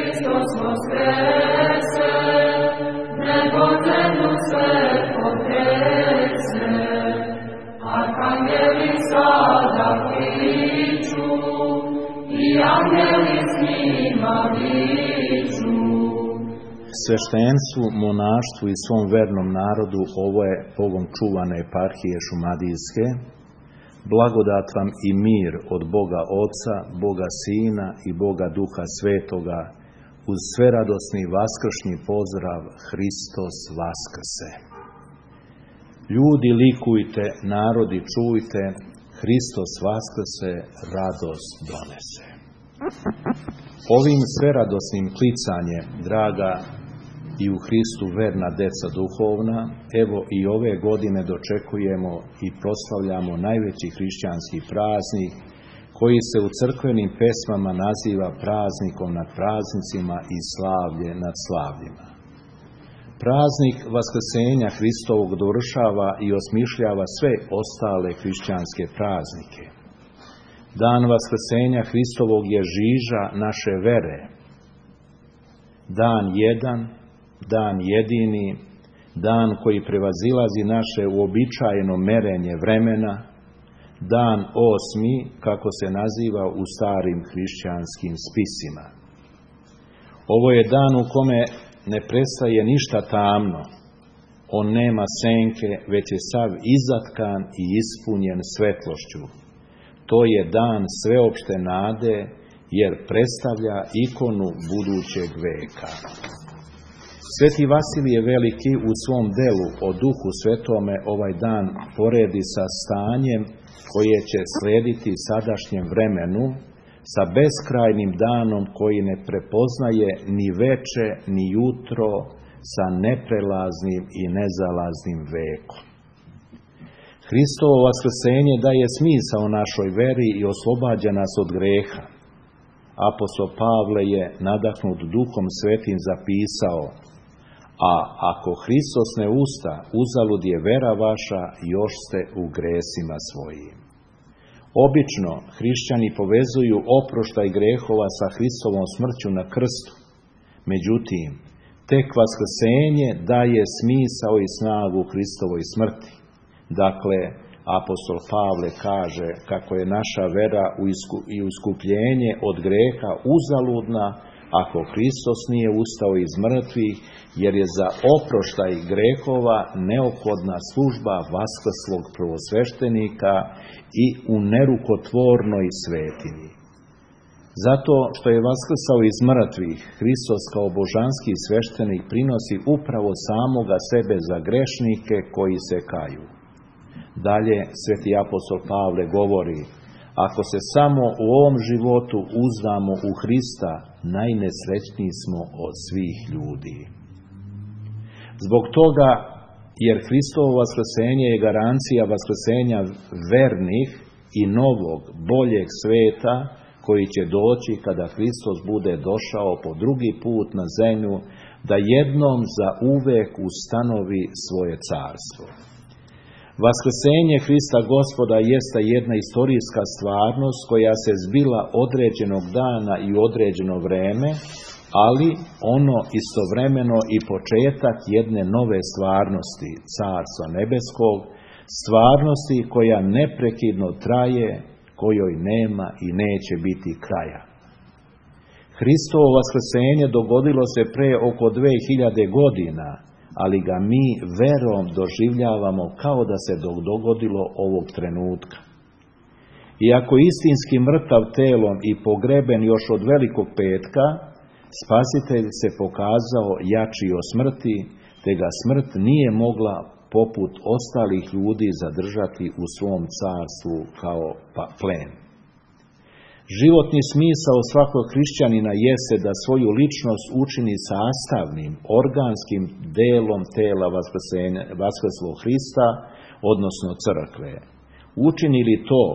Hristos voskrese, nebo zemlju sve potrese, arhangeli sada kliču, i angeli s njima viču. Sveštenstvu, monaštvu i svom vernom narodu ovo je Bogom čuvane eparhije Šumadijske. Blagodat vam i mir od Boga Oca, Boga Sina i Boga Duha Svetoga, uz sveradosni vaskršnji pozdrav Hristos Vaskrse. Ljudi likujte, narodi čujte, Hristos Vaskrse, radost donese. Ovim sveradosnim klicanjem, draga i u Hristu verna deca duhovna, evo i ove godine dočekujemo i proslavljamo najveći hrišćanski praznik, koji se u crkvenim pesmama naziva praznikom nad praznicima i slavlje nad slavljima. Praznik Vaskrsenja Hristovog dovršava i osmišljava sve ostale hrišćanske praznike. Dan Vaskrsenja Hristovog je žiža naše vere. Dan jedan, dan jedini, dan koji prevazilazi naše uobičajeno merenje vremena, dan osmi, kako se naziva u starim hrišćanskim spisima. Ovo je dan u kome ne prestaje ništa tamno. On nema senke, već je sav izatkan i ispunjen svetlošću. To je dan sveopšte nade, jer predstavlja ikonu budućeg veka. Sveti Vasilije Veliki u svom delu o Duhu Svetome ovaj dan poredi sa stanjem koje će slediti sadašnjem vremenu, sa beskrajnim danom koji ne prepoznaje ni veče ni jutro, sa neprelaznim i nezalaznim vekom. Hristovo vaskrsenje daje smisao našoj veri i oslobađa nas od greha. Apostol Pavle je, nadahnut Duhom Svetim, zapisao: a ako Hristos ne usta, uzalud je vera vaša, još ste u gresima svojim. Obično hrišćani povezuju oproštaj grehova sa Hristovom smrću na krstu. Međutim, tek vaskrsenje daje smisao i snagu Hristovoj smrti. Dakle, apostol Pavle kaže kako je naša vera i iskupljenje od greha uzaludna ako Hristos nije ustao iz mrtvih, jer je za oproštaj grehova neophodna služba vaskrslog prvosveštenika i u nerukotvornoj svetinji. Zato što je vaskrsao iz mrtvih, Hristos kao božanski sveštenik prinosi upravo samoga sebe za grešnike koji se kaju. Dalje, sveti apostol Pavle govori: ako se samo u ovom životu uzdamo u Hrista, najnesrećniji smo od svih ljudi. Zbog toga, jer Hristovo vaskrsenje je garancija vaskrsenja vernih i novog, boljeg sveta, koji će doći kada Hristos bude došao po drugi put na zemlju, da jednom za uvek ustanovi svoje carstvo. Vaskrsenje Hrista Gospoda jeste jedna istorijska stvarnost koja se zbila određenog dana i određeno vreme, ali ono istovremeno i početak jedne nove stvarnosti, Carstva nebeskog, stvarnosti koja neprekidno traje, kojoj nema i neće biti kraja. Hristovo vaskrsenje dogodilo se pre oko 2000 godina, ali ga mi verom doživljavamo kao da se dogodilo ovog trenutka. Iako istinski mrtav telom i pogreben još od Velikog petka, Spasitelj se pokazao jači od smrti, te ga smrt nije mogla poput ostalih ljudi zadržati u svom carstvu kao plen. Životni smisao svakog hrišćanina jeste da svoju ličnost učini sastavnim, organskim delom tela vaskrslog Hrista, odnosno crkve. Učini li to,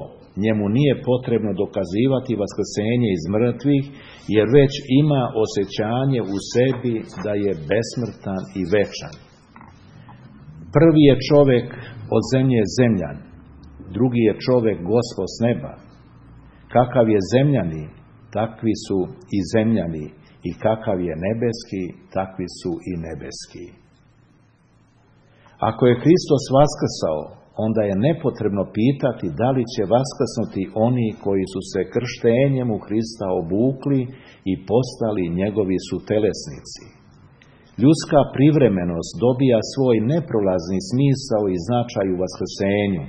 njemu nije potrebno dokazivati vaskrsenje iz mrtvih, jer već ima osjećanje u sebi da je besmrtan i večan. Prvi je čovjek od zemlje zemljan, drugi je čovjek Gospod s neba. Kakav je zemljani, takvi su i zemljani, i kakav je nebeski, takvi su i nebeski. Ako je Hristos vaskrsao, onda je nepotrebno pitati da li će vaskrsnuti oni koji su se krštenjem u Hrista obukli i postali njegovi sutelesnici. Ljudska privremenost dobija svoj neprolazni smisao i značaj u vaskrsenju.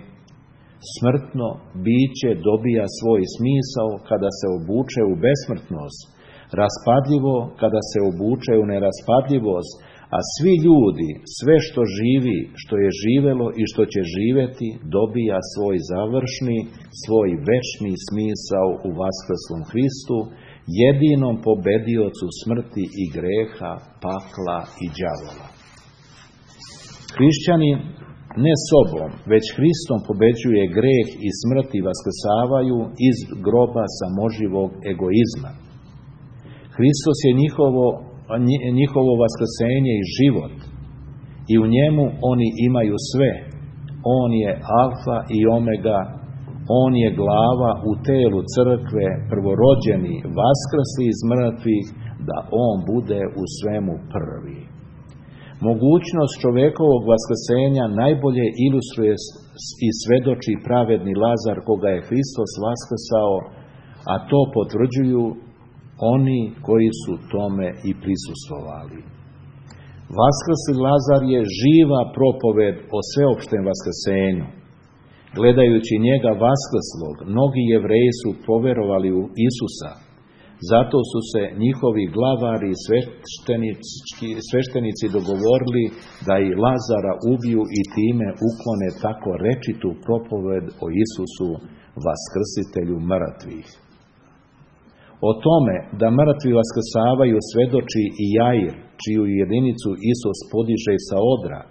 Smrtno biće dobija svoj smisao kada se obuče u besmrtnost, raspadljivo kada se obuče u neraspadljivost, a svi ljudi, sve što živi, što je živelo i što će živeti, dobija svoj završni, svoj večni smisao u vaskrslom Hristu, jedinom pobediocu smrti i greha, pakla i đavola. Hrišćani ne sobom, već Hristom pobeđuje greh i smrt i vaskrsavaju iz groba samoživog egoizma. Hristos je njihovo vaskrsenje i život i u njemu oni imaju sve. On je alfa i omega, on je glava u telu crkve, prvorođeni, vaskrsli iz mrtvih, da on bude u svemu prvi. Mogućnost čovekovog vaskrsenja najbolje ilustruje i svedoči pravedni Lazar koga je Hristos vaskrsao, a to potvrđuju oni koji su tome i prisustvovali. Vaskrsli Lazar je živa propoved o sveopštem vaskrsenju. Gledajući njega vaskrslog, mnogi Jevreji su poverovali u Isusa. Zato su se njihovi glavari i sveštenici dogovorili da i Lazara ubiju i time uklone tako rečitu propoved o Isusu, vaskrsitelju mrtvih. O tome da mrtvi vaskrsavaju svedoči i Jair, čiju jedinicu Isus podiže sa odra.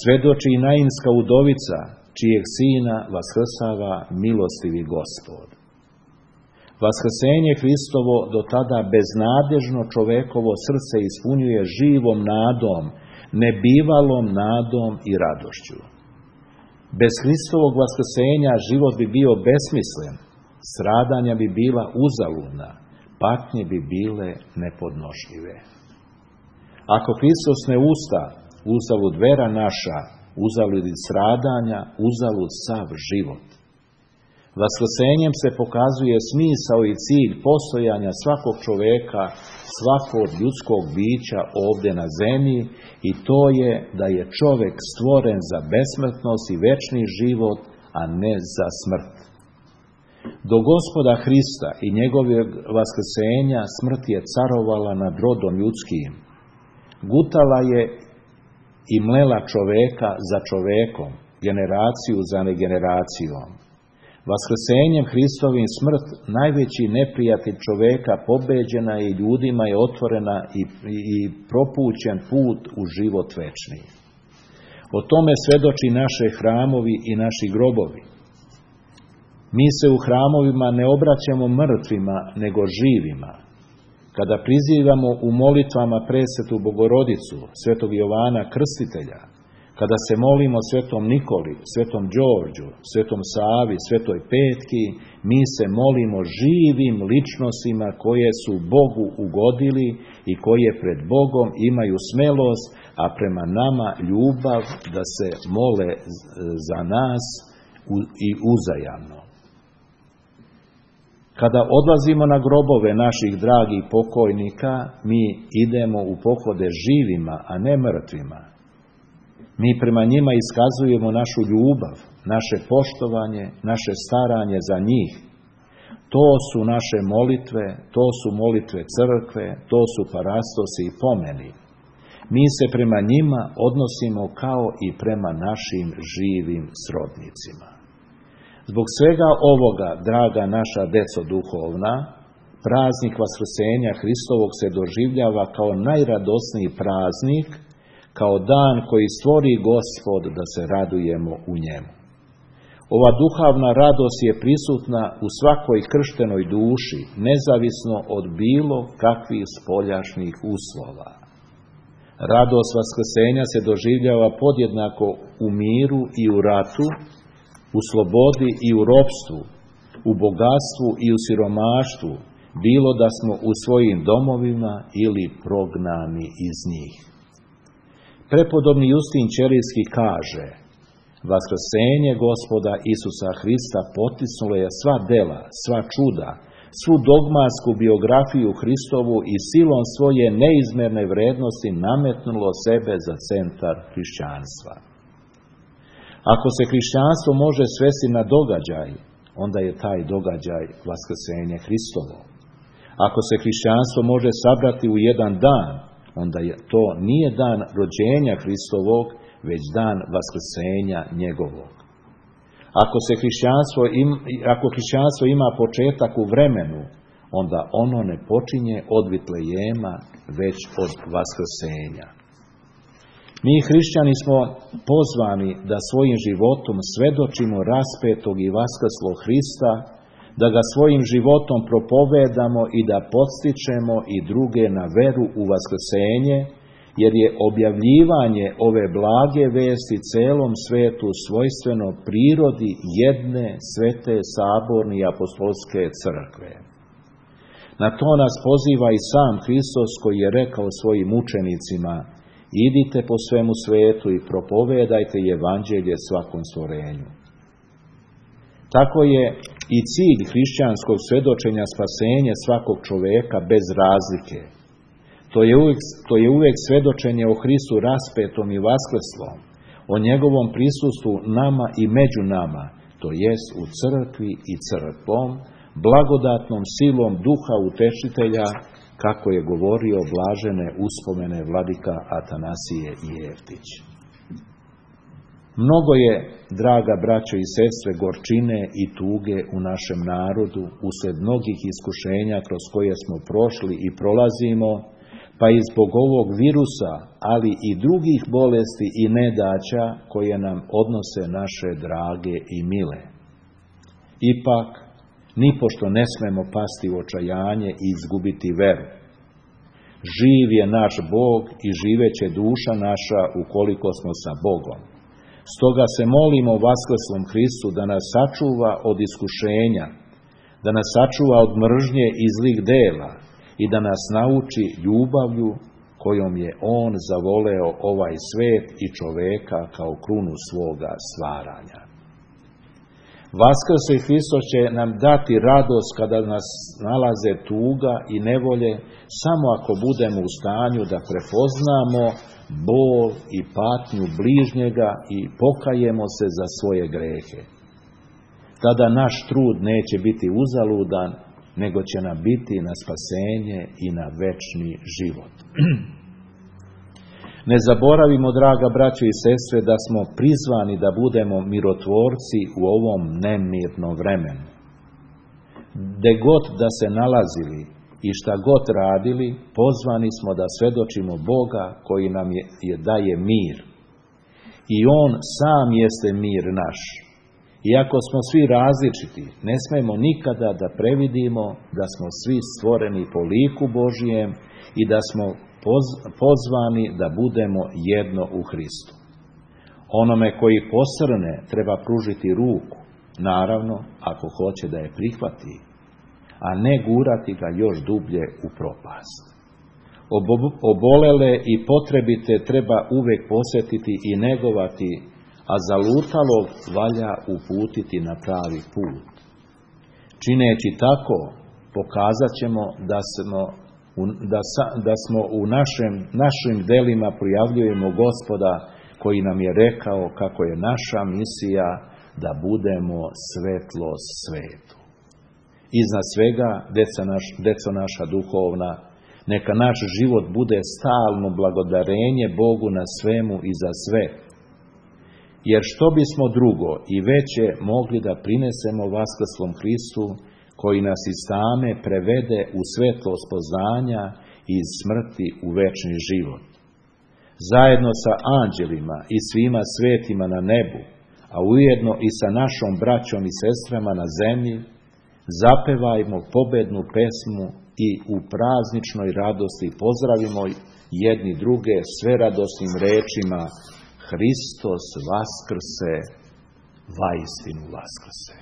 Svedoči i Nainska udovica, čijeg sina vaskrsava milostivi Gospod. Vaskrsenje Hristovo do tada beznadežno čovekovo srce ispunjuje živom nadom, nebivalom nadom i radošću. Bez Hristovog vaskrsenja život bi bio besmislen, stradanja bi bila uzaludna, patnje bi bile nepodnošljive. Ako Hristos ne usta, uzalud vera naša, uzalud i stradanja, uzalud sav život. Vaskrsenjem se pokazuje smisao i cilj postojanja svakog čoveka, svakog ljudskog bića ovdje na zemlji, i to je da je čovek stvoren za besmrtnost i večni život, a ne za smrt. Do Gospoda Hrista i njegovog vaskrsenja smrt je carovala nad rodom ljudskim. Gutala je i mlela čoveka za čovekom, generaciju za generacijom. Vaskrsenjem Hristovim smrt, najveći neprijatelj čoveka, pobeđena je i ljudima je otvorena i propućen put u život večni. O tome svedoči naše hramovi i naši grobovi. Mi se u hramovima ne obraćamo mrtvima, nego živima. Kada prizivamo u molitvama presvetu Bogorodicu, svetog Jovana Krstitelja, kada se molimo svetom Nikoli, svetom Đorđu, svetom Savi, svetoj Petki, mi se molimo živim ličnostima koje su Bogu ugodili i koje pred Bogom imaju smelost, a prema nama ljubav da se mole za nas i uzajamno. Kada odlazimo na grobove naših dragih pokojnika, mi idemo u pohode živima, a ne mrtvima. Mi prema njima iskazujemo našu ljubav, naše poštovanje, naše staranje za njih. To su naše molitve, to su molitve crkve, to su parastosi i pomeni. Mi se prema njima odnosimo kao i prema našim živim srodnicima. Zbog svega ovoga, draga naša deco duhovna, praznik vaskrsenja Hristovog se doživljava kao najradosniji praznik, kao dan koji stvori Gospod da se radujemo u njemu. Ova duhovna radost je prisutna u svakoj krštenoj duši, nezavisno od bilo kakvih spoljašnjih uslova. Radost vaskrsenja se doživljava podjednako u miru i u ratu, u slobodi i u ropstvu, u bogatstvu i u siromaštvu, bilo da smo u svojim domovima ili prognani iz njih. Prepodobni Justin Ćelijski kaže: vaskrsenje Gospoda Isusa Hrista potisnulo je sva dela, sva čuda, svu dogmatsku biografiju Hristovu i silom svoje neizmjerne vrednosti nametnulo sebe za centar hrišćanstva. Ako se hrišćanstvo može svesti na događaj, onda je taj događaj vaskrsenje Hristovo. Ako se hrišćanstvo može sabrati u jedan dan, onda to nije dan rođenja Hristovog, već dan vaskrsenja njegovog. Ako hrišćanstvo ima početak u vremenu, onda ono ne počinje od Vitlejema, već od vaskrsenja. Mi hrišćani smo pozvani da svojim životom svedočimo raspetog i vaskrslog Hrista, da ga svojim životom propovedamo i da podstičemo i druge na veru u vaskrsenje, jer je objavljivanje ove blage vesti celom svetu svojstveno prirodi jedne svete saborne i apostolske crkve. Na to nas poziva i sam Hristos, koji je rekao svojim učenicima: idite po svemu svetu i propovedajte evanđelje svakom stvorenju. Tako je i cilj hrišćanskog svedočenja spasenje svakog čoveka bez razlike. To je uvijek svedočenje o Hristu raspetom i vaskrslom, o njegovom prisustvu nama i među nama, to jest u crkvi i crkvom, blagodatnom silom Duha Utešitelja, kako je govorio blažene uspomene vladika Atanasije i Jeftić. Mnogo je, draga braćo i sestre, gorčine i tuge u našem narodu uslijed mnogih iskušenja kroz koje smo prošli i prolazimo, pa i zbog ovog virusa, ali i drugih bolesti i nedaća koje nam odnose naše drage i mile. Ipak, nipošto ne smemo pasti u očajanje i izgubiti veru. Živ je naš Bog i živeće duša naša ukoliko smo sa Bogom. Stoga se molimo vaskrslom Hristu da nas sačuva od iskušenja, da nas sačuva od mržnje i zlih dela i da nas nauči ljubavlju kojom je On zavoleo ovaj svet i čoveka kao krunu svoga stvaranja. Vaskrsli Hristos će nam dati radost kada nas nalaze tuga i nevolje, samo ako budemo u stanju da prepoznamo bol i patnju bližnjega i pokajemo se za svoje grehe. Tada naš trud neće biti uzaludan, nego će nam biti na spasenje i na večni život. Ne zaboravimo, draga braćo i sestre, da smo prizvani da budemo mirotvorci u ovom nemirnom vremenu. Gde god da se nalazili i šta god radili, pozvani smo da svedočimo Boga koji nam daje mir. I On sam jeste mir naš. Iako smo svi različiti, ne smemo nikada da previdimo da smo svi stvoreni po liku Božijem i da smo pozvani da budemo jedno u Hristu. Onome koji posrne treba pružiti ruku, naravno ako hoće da je prihvati, a ne gurati ga još dublje u propast. Obolele i potrebite treba uvek posjetiti i negovati, a zalutalog valja uputiti na pravi put. Čineći tako, pokazat ćemo da smo u našim delima projavljujemo Gospoda koji nam je rekao kako je naša misija da budemo svetlost svetu. Iznad svega, deco naša duhovna, neka naš život bude stalno blagodarenje Bogu na svemu i za sve. Jer što bismo drugo i veće mogli da prinesemo vaskrslom Hristu, koji nas iz tame prevede u svetlost poznanja i iz smrti u večni život. Zajedno sa anđelima i svima svetima na nebu, a ujedno i sa našom braćom i sestrama na zemlji, zapevajmo pobednu pesmu i u prazničnoj radosti pozdravimo jedni druge sve radosnim rečima: Hristos vaskrse, vaistinu vaskrse.